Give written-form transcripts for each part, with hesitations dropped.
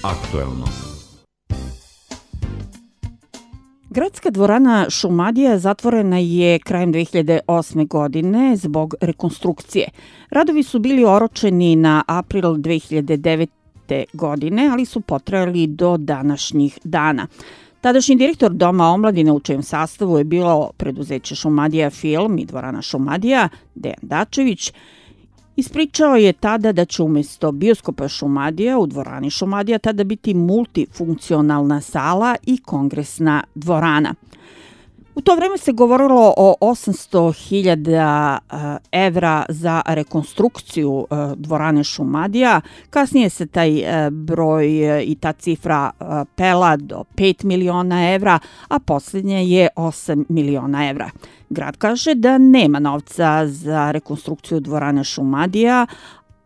Aktuelno. Gradska dvorana Šumadija zatvorena je krajem 2008. godine zbog rekonstrukcije. Radovi su bili oročeni na april 2009. godine, ali su potrajali do današnjih dana. Tadašnji direktor Doma omladine, u čijem sastavu je bilo preduzeće Šumadija Film i dvorana Šumadija, Dejan Dačević, ispričao je tada da će umjesto bioskopa Šumadija u dvorani Šumadija tada biti multifunkcionalna sala i kongresna dvorana. U to vreme se govorilo o 800.000 evra za rekonstrukciju dvorane Šumadija. Kasnije se taj broj i ta cifra pela do 5 miliona evra, a posljednje je 8 miliona evra. Grad kaže da nema novca za rekonstrukciju dvorane Šumadija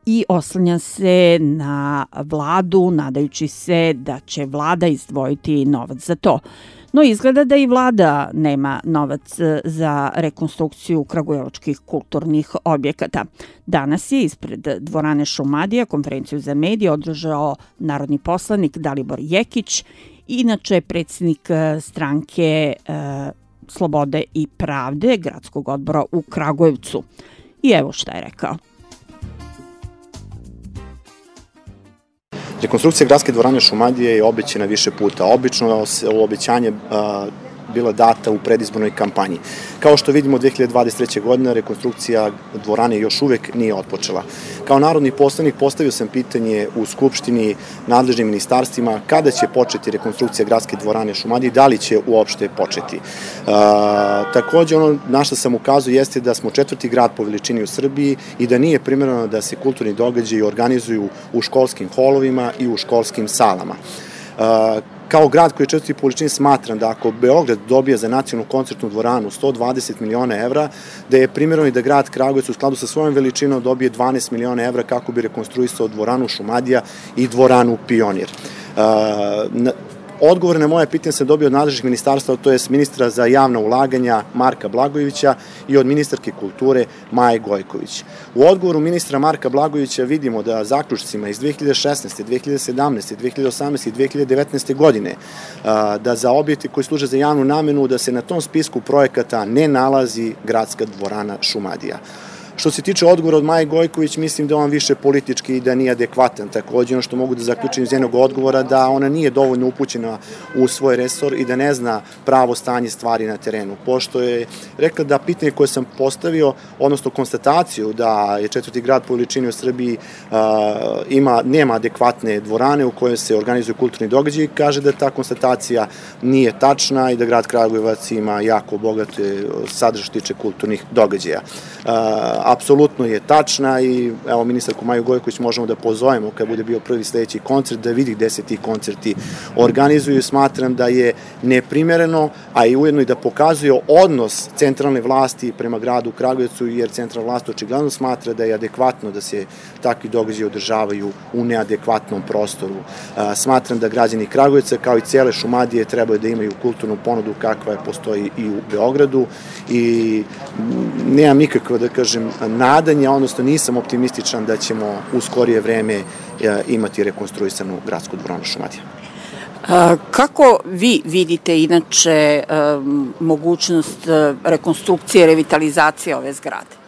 i oslanja se na vladu, nadajući se da će vlada izdvojiti novac za to. No izgleda da i vlada nema novac za rekonstrukciju kragujevačkih kulturnih objekata. Danas je ispred dvorane Šumadija konferenciju za medije održao narodni poslanik Dalibor Jekić, inače predsjednik stranke Slobode i pravde gradskog odbora u Kragujevcu. I evo šta je rekao. Rekonstrukcija gradske dvorane Šumadije je obećana više puta. Obično je obećanje bila data u predizbornoj kampanji. Kao što vidimo, 2023. godine rekonstrukcija dvorane još uvek nije otpočela. Kao narodni poslanik postavio sam pitanje u Skupštini nadležnim ministarstvima kada će početi rekonstrukcija gradske dvorane Šumadije i da li će uopšte početi. Takođe, ono na što sam ukazao jeste da smo 4. grad po veličini u Srbiji i da nije primereno da se kulturni događaji organizuju u školskim holovima i u školskim salama. Kao grad koji je 4. po veličini smatram da ako Beograd dobije za nacionalnu koncertnu dvoranu 120 miliona evra, da je primjereno i da grad Kragujevac u skladu sa svojom veličinom dobije 12 miliona evra kako bi rekonstruisao dvoranu Šumadija i dvoranu Pionir. Odgovor na moje pitanje sam dobio od nadležnih ministarstva, to je ministra za javna ulaganja Marka Blagojevića i od ministarke kulture Maje Gojković. U odgovoru ministra Marka Blagojevića vidimo da zaključcima iz 2016. 2017. 2018. i 2019. godine da za objekte koji služe za javnu namenu da se na tom spisku projekata ne nalazi gradska dvorana Šumadija. Što se tiče odgovora od Maje Gojković, mislim da on više politički i da nije adekvatan. Takođe, ono što mogu da zaključim iz njenog odgovora, da ona nije dovoljno upućena u svoj resor i da ne zna pravo stanje stvari na terenu. Pošto je rekla da pitanje koje sam postavio, odnosno konstataciju da je 4. grad po veličini u Srbiji nema adekvatne dvorane u kojoj se organizuju kulturni događaji, kaže da ta konstatacija nije tačna i da grad Kragujevac ima jako bogate sadržaje što tiče kulturnih događaja. Apsolutno je tačna i evo ministarku Maju Gojković možemo da pozovemo kad bude bio prvi sledeći koncert da vidi gde se ti koncerti organizuju. Smatram da je neprimereno, a i ujedno i da pokazuje odnos centralne vlasti prema gradu Kragujevcu, jer centralna vlast očigledno smatra da je adekvatno da se takvi događaji održavaju u neadekvatnom prostoru. Smatram da građani Kragujevca kao i cele Šumadije trebaju da imaju kulturnu ponudu kakva postoji i u Beogradu i nemam nikakvo, da kažem, nadanja, odnosno nisam optimističan da ćemo u skorije vreme imati rekonstruisanu gradsku dvoranu Šumadija. Kako vi vidite inače mogućnost rekonstrukcije, revitalizacije ove zgrade?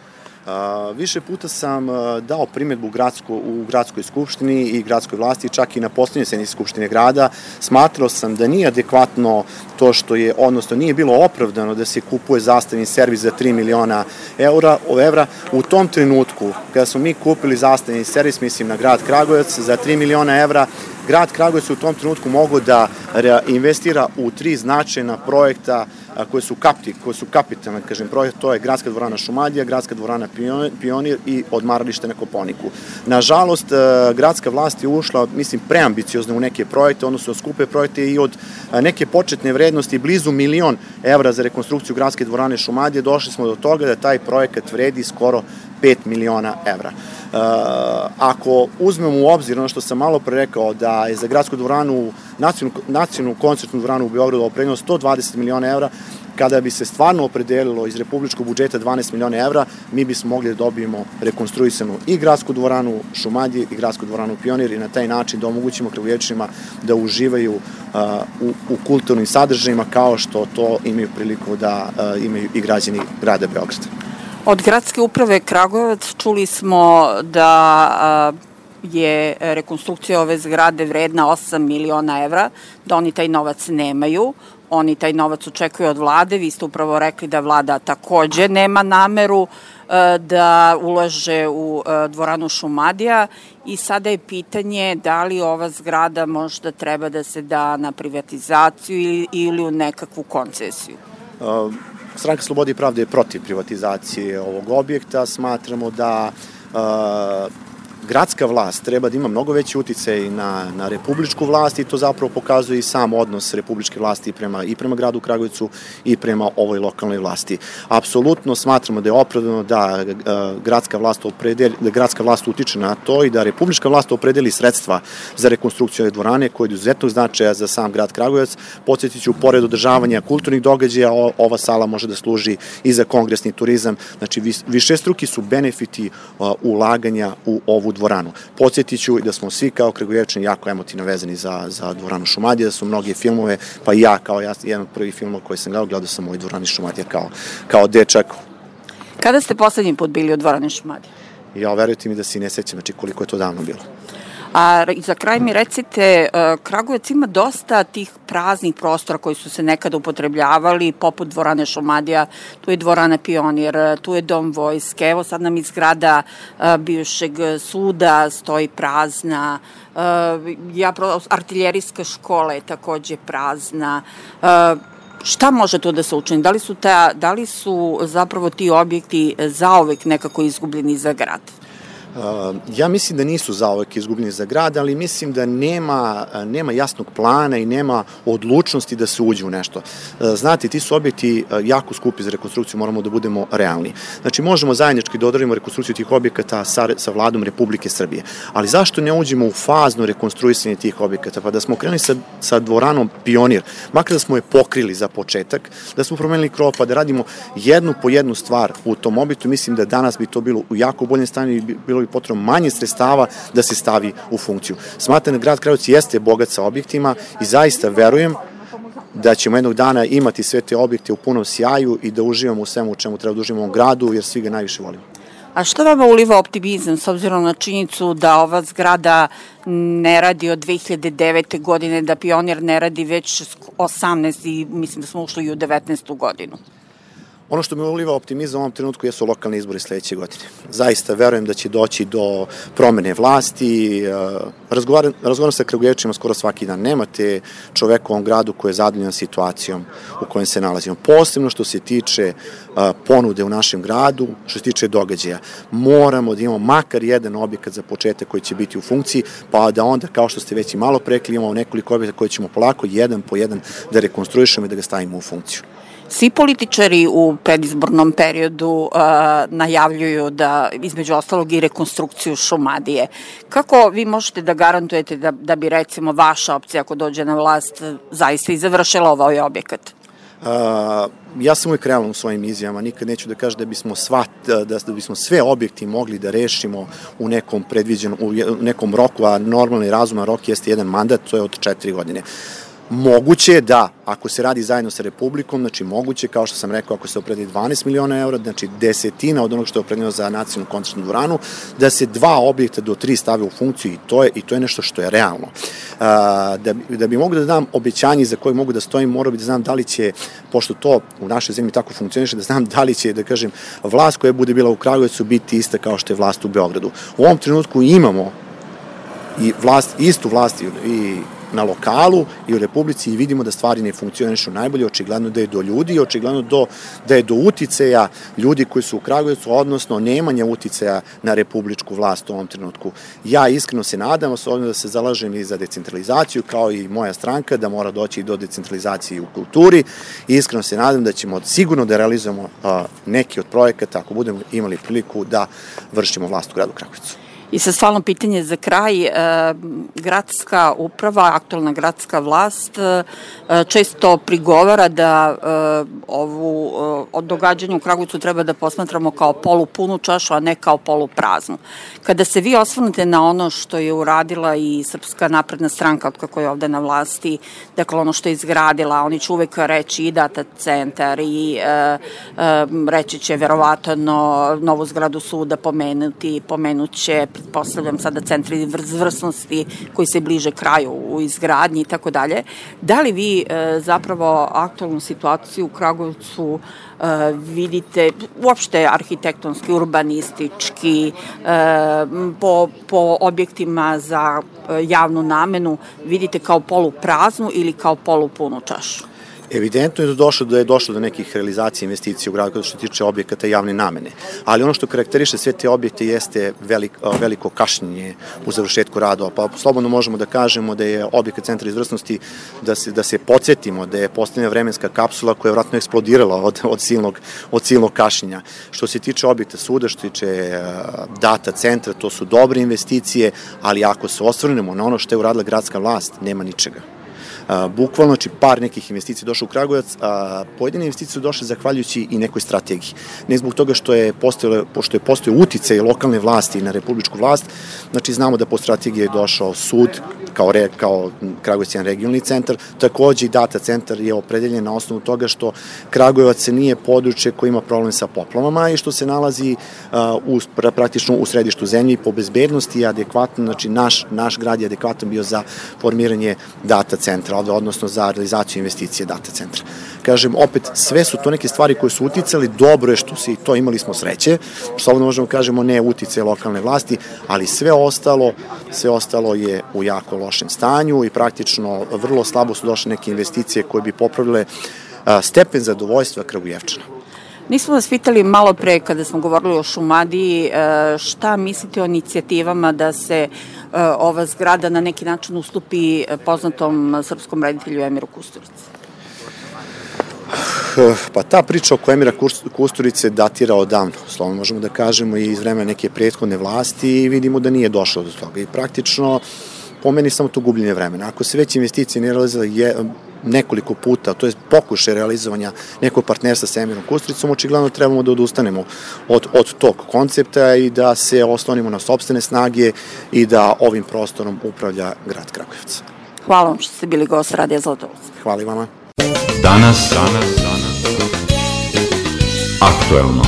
Više puta sam dao primjedbu u gradskoj skupštini i gradskoj vlasti, čak i na poslednjoj sednici skupštine grada. Smatrao sam da nije adekvatno to što je, odnosno nije bilo opravdano da se kupuje zastavni servis za 3 miliona evra. U tom trenutku, kada smo mi kupili zastavni servis, mislim na grad Kragujevac, za 3 miliona evra, grad Kragujevac u tom trenutku mogao da investira u 3 značajna projekta koje su kapitalne, kažem, projekte, to je gradska dvorana Šumadija, gradska dvorana Pionir i odmaralište na Koponiku. Nažalost, gradska vlast je ušla, mislim, preambiciozno u neke projekte, odnosno skupe projekte i od neke početne vrednosti blizu 1 milion evra za rekonstrukciju gradske dvorane Šumadije, došli smo do toga da taj projekat vredi skoro 5 miliona evra. Ako uzmemo u obzir ono što sam malo pre rekao, da je za gradsku dvoranu, nacionalnu koncertnu dvoranu u Beogradu opredeljeno 120 miliona evra, Kada bi se stvarno opredelilo iz republičkog budžeta 12 miliona evra, mi bismo mogli da dobijemo rekonstruisanu i gradsku dvoranu Šumadije i gradsku dvoranu Pionir i na taj način da omogućimo Kragujevčanima da uživaju u kulturnim sadržajima kao što to imaju priliku da imaju i građani grada Beograda. Od gradske uprave Kragujevac čuli smo da je rekonstrukcija ove zgrade vredna 8 miliona evra, da oni taj novac nemaju. Oni taj novac očekuju od vlade. Vi ste upravo rekli da vlada takođe nema nameru da ulaže u dvoranu Šumadija i sada je pitanje da li ova zgrada možda treba da se da na privatizaciju ili u nekakvu koncesiju. Stranka Slobode i pravde je protiv privatizacije ovog objekta. Smatramo da gradska vlast treba da ima mnogo veći uticaj na republičku vlast i to zapravo pokazuje i sam odnos republičke vlasti i prema gradu Kragujevcu i prema ovoj lokalnoj vlasti. Apsolutno smatramo da je opravdano da gradska vlast utiče na to i da republička vlast opredeli sredstva za rekonstrukciju ove dvorane koje je izuzetnog značaja za sam grad Kragujevac. Podsjetit ću, pored održavanja kulturnih događaja, ova sala može da služi i za kongresni turizam. Znači, višestruki su benefiti ulaganja u ovu dvoranu. Podsjetit ću da smo svi kao Kragujevčani jako emotivno vezani za dvoranu Šumadija, da su mnogi filmove, pa i ja kao jedan od prvih filmova koji sam gledao sam u ovoj dvorani Šumadija kao dečak. Kada ste poslednji put bili u dvorani Šumadija? Ja, verujte mi da se ne sećam, znači koliko je to davno bilo. A za kraj mi recite, Kragujevac ima dosta tih praznih prostora koji su se nekada upotrebljavali, poput dvorane Šumadija, tu je dvorana Pionir, tu je dom vojske, evo sad nam iz zgrada bivšeg suda stoji prazna, artiljerijska škola je takođe prazna. Šta može to da se učini? Da li su zapravo ti objekti zauvek nekako izgubljeni za grad? Ja mislim da nisu zauvek izgubljeni za grad, ali mislim da nema jasnog plana i nema odlučnosti da se uđe u nešto. Znate, ti su objekti jako skupi za rekonstrukciju, moramo da budemo realni. Znači, možemo zajednički da odradimo rekonstrukciju tih objekata sa vladom Republike Srbije, ali zašto ne uđemo u fazno rekonstruisanje tih objekata? Pa da smo krenuli sa dvoranom Pionir, makar da smo je pokrili za početak, da smo promenili krov, pa da radimo jednu po jednu stvar u tom objektu, mislim da danas bi to bilo u jako boljem stanju i bilo bi potrebno manje sredstava da se stavi u funkciju. Smatram da grad Kragujevac jeste bogat sa objektima i zaista verujem da ćemo jednog dana imati sve te objekte u punom sjaju i da uživamo u svemu u čemu treba da uživamo u ovom gradu, jer svi ga najviše volimo. A što vama uliva optimizam s obzirom na činjenicu da ova zgrada ne radi od 2009. godine, da Pionir ne radi već 18 i mislim da smo ušli i u 19. godinu? Ono što mi uliva optimizam u ovom trenutku jesu lokalni izbori sledeće godine. Zaista verujem da će doći do promene vlasti. Razgovaram sa Kragujevčanima skoro svaki dan. Nemate čoveka u ovom gradu koji je zadovoljan situacijom u kojem se nalazimo. Posebno što se tiče ponude u našem gradu, što se tiče događaja. Moramo da imamo makar jedan objekat za početak koji će biti u funkciji, pa da onda, kao što ste već i malo prekli, imamo nekoliko objekata koje ćemo polako jedan po jedan da rekonstruišemo i da ga stavimo u funkciju. Svi političari u predizbornom periodu najavljuju da, između ostalog, i rekonstrukciju Šumadije. Kako vi možete da garantujete da bi, recimo, vaša opcija, ako dođe na vlast, zaista i završila ovaj objekat? Ja sam uvijek realan u svojim izjavama, nikad neću da kažem da bismo sve objekti mogli da rešimo u nekom roku, a normalni razuman rok jeste jedan mandat, to je od 4 godine. Moguće je da, ako se radi zajedno sa Republikom, znači moguće, kao što sam rekao, ako se opredeli 12 miliona evra, znači desetina od onog što je opredeljeno za nacionalnu koncertnu dvoranu, da se 2 objekta do 3 stave u funkciju i to je nešto što je realno. Da bi mogu da dam obećanje za koje mogu da stojim, morao bi da znam da li će, pošto to u našoj zemlji tako funkcioniše, da znam da li će, da kažem, vlast koja bude bila u Kragujevcu biti ista kao što je vlast u Beogradu. U ovom trenutku imamo i istu vlast i na lokalu i u Republici i vidimo da stvari ne funkcionišu najbolje, očigledno da je do ljudi i očigledno da je do uticaja ljudi koji su u Kragujevcu, odnosno nemanja uticaja na republičku vlast u ovom trenutku. Ja iskreno se nadam, osobno da se zalažem i za decentralizaciju, kao i moja stranka, da mora doći do decentralizacije u kulturi i iskreno se nadam da ćemo sigurno da realizujemo neki od projekata ako budemo imali priliku da vršimo vlast u gradu Kragujevcu. I sad stvarno pitanje za kraj, gradska uprava, aktualna gradska vlast često prigovara da od događanja u Kragujevcu treba da posmatramo kao polupunu čašu, a ne kao polupraznu. Kada se vi osvrnete na ono što je uradila i Srpska napredna stranka od kako je ovde na vlasti, dakle ono što je izgradila, oni će uvek reći i data centar i reći će verovatno novu zgradu suda pomenuće, pretpostavljam sada centri izvrsnosti koji se bliže kraju u izgradnji i tako dalje. Da li vi zapravo aktualnu situaciju u Kragujevcu vidite uopšte arhitektonski, urbanistički, po objektima za javnu namenu vidite kao polupraznu ili kao polupunu čašu? Evidentno je da je došlo do nekih realizacija investicija u gradu što se tiče objekata javne namene, ali ono što karakteriše sve te objekte jeste veliko kašnjenje u završetku radova. Pa slobodno možemo da kažemo da je objekat centra izvrsnosti, da se podsjetimo da je postavljena vremenska kapsula koja je vratno eksplodirala od silnog kašnjenja. Što se tiče objekta suda, što se tiče data centra, to su dobre investicije, ali ako se osvrnemo na ono što je uradila gradska vlast, nema ničega. Bukvalno, znači par nekih investicija došlo u Kragujevac, a pojedine investicije su došle zahvaljujući i nekoj strategiji. Ne zbog toga što je postojao uticaj lokalne vlasti na republičku vlast, znači znamo da po strategiji je došao sud kao Kragujevac jedan regionalni centar, takođe i data centar je opredeljen na osnovu toga što Kragujevac nije područje koje ima problem sa poplavama i što se nalazi praktično u središtu zemlje i po bezbednosti je adekvatno, znači naš grad je adekvatan bio za formiranje data centra, odnosno za realizaciju investicije data centra. Kažem, opet, sve su to neke stvari koje su uticali, dobro je što si to imali smo sreće, slobodno možemo kažemo ne utice lokalne vlasti, ali sve ostalo je u jako lošem stanju i praktično vrlo slabo su došle neke investicije koje bi popravile stepen zadovoljstva Kragujevčana. Nismo vas pitali malo pre kada smo govorili o Šumadiji, šta mislite o inicijativama da se ova zgrada na neki način ustupi poznatom srpskom reditelju Emiru Kusturici? Pa ta priča oko Emira Kusturice datira odavno, slovno možemo da kažemo i iz vremena neke prethodne vlasti i vidimo da nije došlo do toga i praktično po meni samo to gubljenje vremena. Ako se već investicije ne realizala nekoliko puta, to je pokušaj realizovanja nekog partnerstva sa Emirom Kusturicom, očigledno trebamo da odustanemo od tog koncepta i da se oslonimo na sopstvene snage i da ovim prostorom upravlja grad Kragujevac. Hvala vam što ste bili gost Radija Zlatovac. Hvala i vama. Danas, aktuelno.